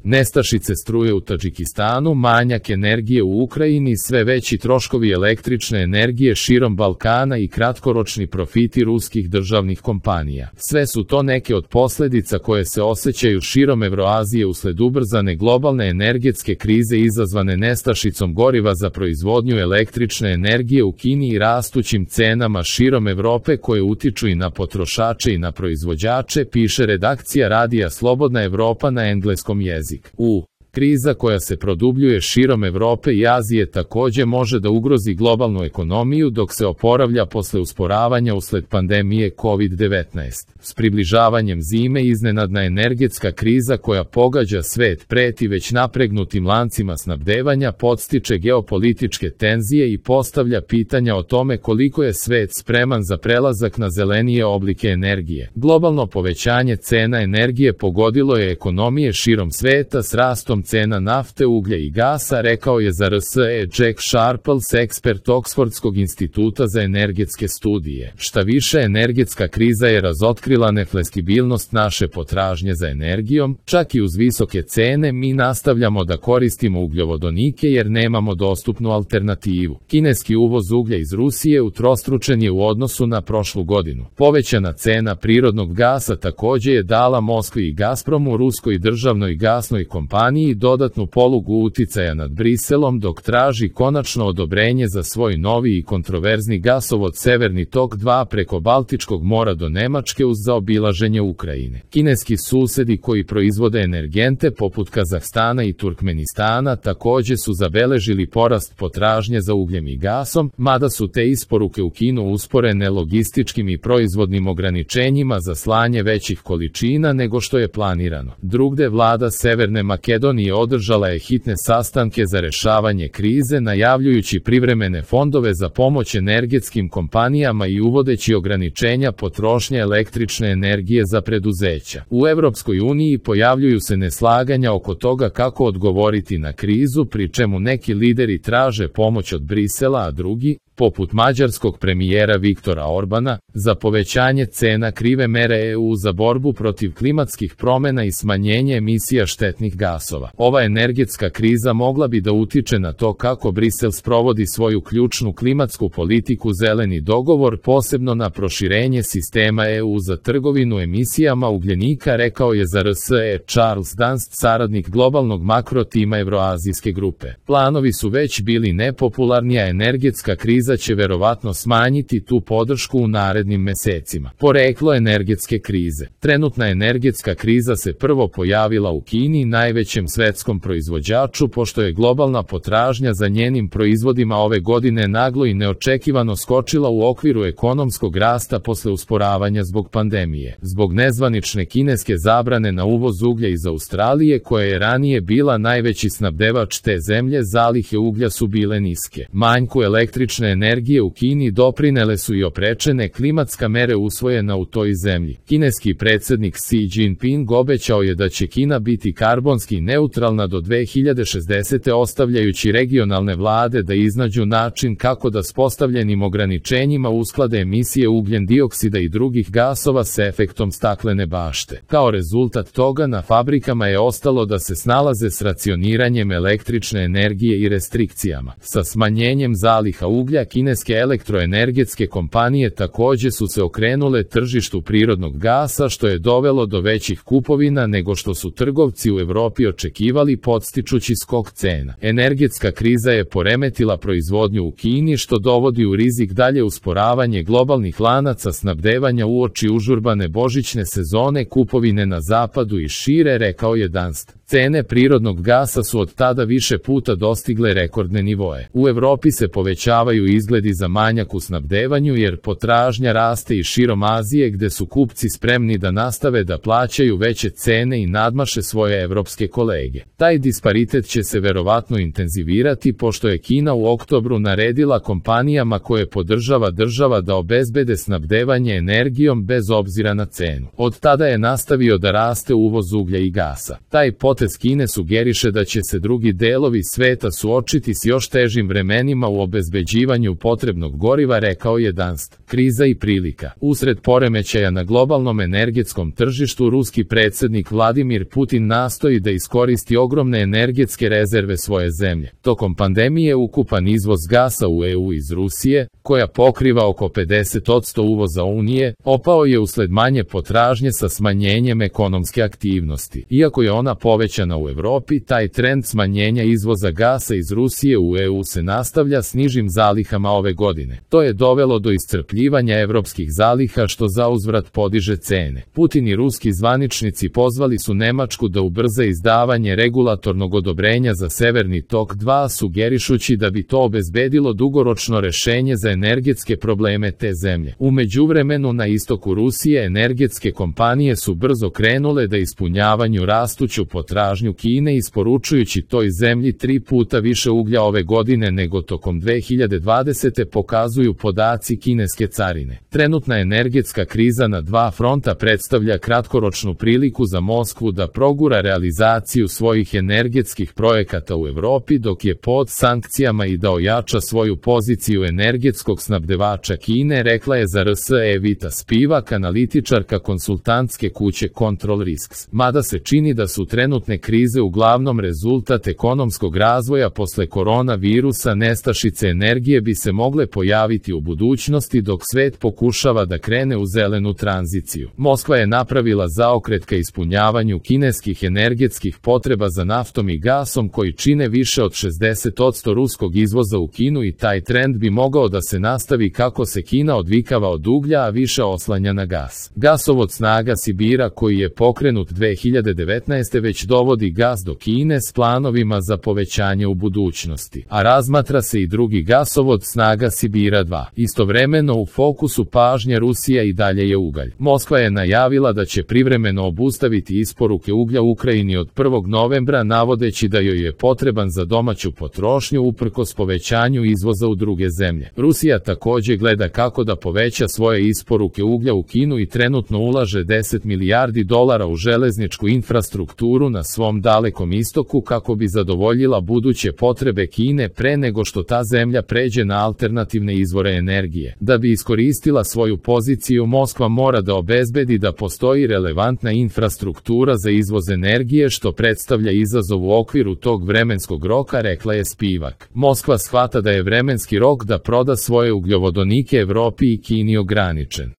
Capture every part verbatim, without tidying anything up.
Nestašice struje u Tadžikistanu, manjak energije u Ukrajini, sve veći troškovi električne energije širom Balkana i kratkoročni profiti ruskih državnih kompanija. Sve su to neke od posljedica koje se osjećaju širom Evroazije usled ubrzane globalne energetske krize izazvane nestašicom goriva za proizvodnju električne energije u Kini i rastućim cenama širom Evrope koje utiču i na potrošače i na proizvođače, piše redakcija radija Slobodna Evropa na engleskom jeziku. U kriza koja se produbljuje širom Evrope i Azije također može da ugrozi globalnu ekonomiju dok se oporavlja posle usporavanja usled pandemije kovid devetnaest. S približavanjem zime iznenadna energetska kriza koja pogađa svet preti već napregnutim lancima snabdevanja, podstiče geopolitičke tenzije i postavlja pitanja o tome koliko je svet spreman za prelazak na zelenije oblike energije. Globalno povećanje cena energije pogodilo je ekonomije širom sveta s rastom cena nafte, uglja i gasa, rekao je za R S E Jack Sharples, ekspert Oksfordskog instituta za energetske studije. Šta više, energetska kriza je razotkrila nefleksibilnost naše potražnje za energijom. Čak i uz visoke cene mi nastavljamo da koristimo ugljovodonike jer nemamo dostupnu alternativu. Kineski uvoz uglja iz Rusije utrostručen je u odnosu na prošlu godinu. Povećana cena prirodnog gasa također je dala Moskvi i Gazpromu, ruskoj državnoj gasnoj kompaniji, dodatnu polugu uticaja nad Briselom dok traži konačno odobrenje za svoj novi i kontroverzni gasovod Severni tok dva preko Baltičkog mora do Nemačke uz zaobilaženje Ukrajine. Kineski susedi koji proizvode energente poput Kazahstana i Turkmenistana također su zabeležili porast potražnje za ugljem i gasom, mada su te isporuke u Kinu usporene logističkim i proizvodnim ograničenjima za slanje većih količina nego što je planirano. Drugde, vlada Severne Makedonije održala je hitne sastanke za rešavanje krize, najavljujući privremene fondove za pomoć energetskim kompanijama i uvodeći ograničenja potrošnje električne energije za preduzeća. U Evropskoj uniji pojavljuju se neslaganja oko toga kako odgovoriti na krizu, pri čemu neki lideri traže pomoć od Brisela, a drugi, poput mađarskog premijera Viktora Orbana, za povećanje cena krive mere E U za borbu protiv klimatskih promjena i smanjenje emisija štetnih gasova. Ova energetska kriza mogla bi da utiče na to kako Brisel sprovodi svoju ključnu klimatsku politiku zeleni dogovor, posebno na proširenje sistema E U za trgovinu emisijama ugljenika, rekao je za R S E Charles Dunst, saradnik globalnog makrotima Evroazijske grupe. Planovi su već bili nepopularni, a energetska kriza će verovatno smanjiti tu podršku u narednim mesecima. Poreklo energetske krize. Trenutna energetska kriza se prvo pojavila u Kini, najvećem svetskom proizvođaču, pošto je globalna potražnja za njenim proizvodima ove godine naglo i neočekivano skočila u okviru ekonomskog rasta posle usporavanja zbog pandemije. Zbog nezvanične kineske zabrane na uvoz uglja iz Australije, koja je ranije bila najveći snabdevač te zemlje, zalihe uglja su bile niske. Manjku električne energije u Kini doprinele su i oprečene klimatska mere usvojena u toj zemlji. Kineski predsjednik Xi Jinping obećao je da će Kina biti karbonski neutralna do dve hiljade šezdesete. ostavljajući regionalne vlade da iznađu način kako da s postavljenim ograničenjima usklade emisije ugljen dioksida i drugih gasova s efektom staklene bašte. Kao rezultat toga na fabrikama je ostalo da se snalaze s racioniranjem električne energije i restrikcijama. Sa smanjenjem zaliha uglja, kineske elektroenergetske kompanije također su se okrenule tržištu prirodnog gasa, što je dovelo do većih kupovina nego što su trgovci u Evropi očekivali, podstičući skok cena. Energetska kriza je poremetila proizvodnju u Kini, što dovodi u rizik dalje usporavanje globalnih lanaca snabdevanja uoči užurbane božićne sezone, kupovine na zapadu i šire, rekao je Dunst. Cene prirodnog gasa su od tada više puta dostigle rekordne nivoe. U Evropi se povećavaju izgledi za manjak u snabdevanju jer potražnja raste i širom Azije, gde su kupci spremni da nastave da plaćaju veće cene i nadmaše svoje evropske kolege. Taj disparitet će se verovatno intenzivirati pošto je Kina u oktobru naredila kompanijama koje podržava država da obezbede snabdevanje energijom bez obzira na cenu. Od tada je nastavio da raste uvoz uglja i gasa. Taj pot potez Kine sugeriše da će se drugi delovi sveta suočiti s još težim vremenima u obezbeđivanju potrebnog goriva, rekao je Danst. Kriza i prilika. Usred poremećaja na globalnom energetskom tržištu, ruski predsjednik Vladimir Putin nastoji da iskoristi ogromne energetske rezerve svoje zemlje. Tokom pandemije ukupan izvoz gasa u E U iz Rusije, koja pokriva oko pedeset posto uvoza Unije, opao je usled manje potražnje sa smanjenjem ekonomske aktivnosti. Iako je ona povećana u Evropi, taj trend smanjenja izvoza gasa iz Rusije u E U se nastavlja s nižim zalihama ove godine. To je dovelo do iscrpljivanja evropskih zaliha, što zauzvrat podiže cene. Putin i ruski zvaničnici pozvali su Nemačku da ubrza izdavanje regulatornog odobrenja za Severni tok dva, sugerišući da bi to obezbedilo dugoročno rešenje za energetske probleme te zemlje. U međuvremenu na istoku Rusije energetske kompanije su brzo krenule da ispunjavanju rastuću potražnju Kine, isporučujući toj zemlji tri puta više uglja ove godine nego tokom dve hiljade dvadesete, pokazuju podaci kineske carine. Trenutna energetska kriza na dva fronta predstavlja kratkoročnu priliku za Moskvu da progura realizaciju svojih energetskih projekata u Evropi dok je pod sankcijama i da ojača svoju poziciju energetskog snabdevača Kine, rekla je za R S Evita Spivak, analitičarka konsultantske kuće Control Risks. Mada se čini da su trenutne krize uglavnom rezultat ekonomskog razvoja posle koronavirusa, nestašice energije bi se mogle pojaviti u budućnosti dok svet pokušava da krene u zelenu tranziciju. Moskva je napravila zaokret ka ispunjavanju kineskih energetskih potreba za naftom i gasom, koji čine više od šezdeset posto ruskog izvoza u Kinu, i taj trend bi mogao da se nastavi kako se Kina odvikava od uglja, a više oslanja na gas. Gasovod Snaga Sibira, koji je pokrenut dve hiljade devetnaeste. već dovodi gas do Kine s planovima za povećanje u budućnosti, a razmatra se i drugi gasovod Snaga Sibira dva. Istovremeno u fokusu pažnje Rusija i dalje je ugalj. Moskva je najavila da će privremeno obustaviti isporuke uglja Ukrajini od prvog novembra, navodeći da joj je potreban za domaću potrošnju uprkos povećanju izvoza u druge zemlje. Rusija takođe gleda kako da poveća svoje isporuke uglja u Kinu i trenutno ulaže deset milijardi dolara u železničku infrastrukturu na svom dalekom istoku kako bi zadovoljila buduće potrebe Kine pre nego što ta zemlja pređe na alternativne izvore energije. Da bi iskoristila svoju poziciju, Moskva mora da obezbedi da postoji relevantna infrastruktura za izvoz energije, što predstavlja izazov u okviru tog vremenskog roka, rekla je Spivak. Moskva shvata da je vremenski rok da proda svoje ugljovodonike Evropi i Kini ograničen.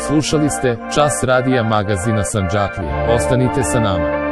Slušali ste Čas radija magazina Sandžaklija. Ostanite sa nama.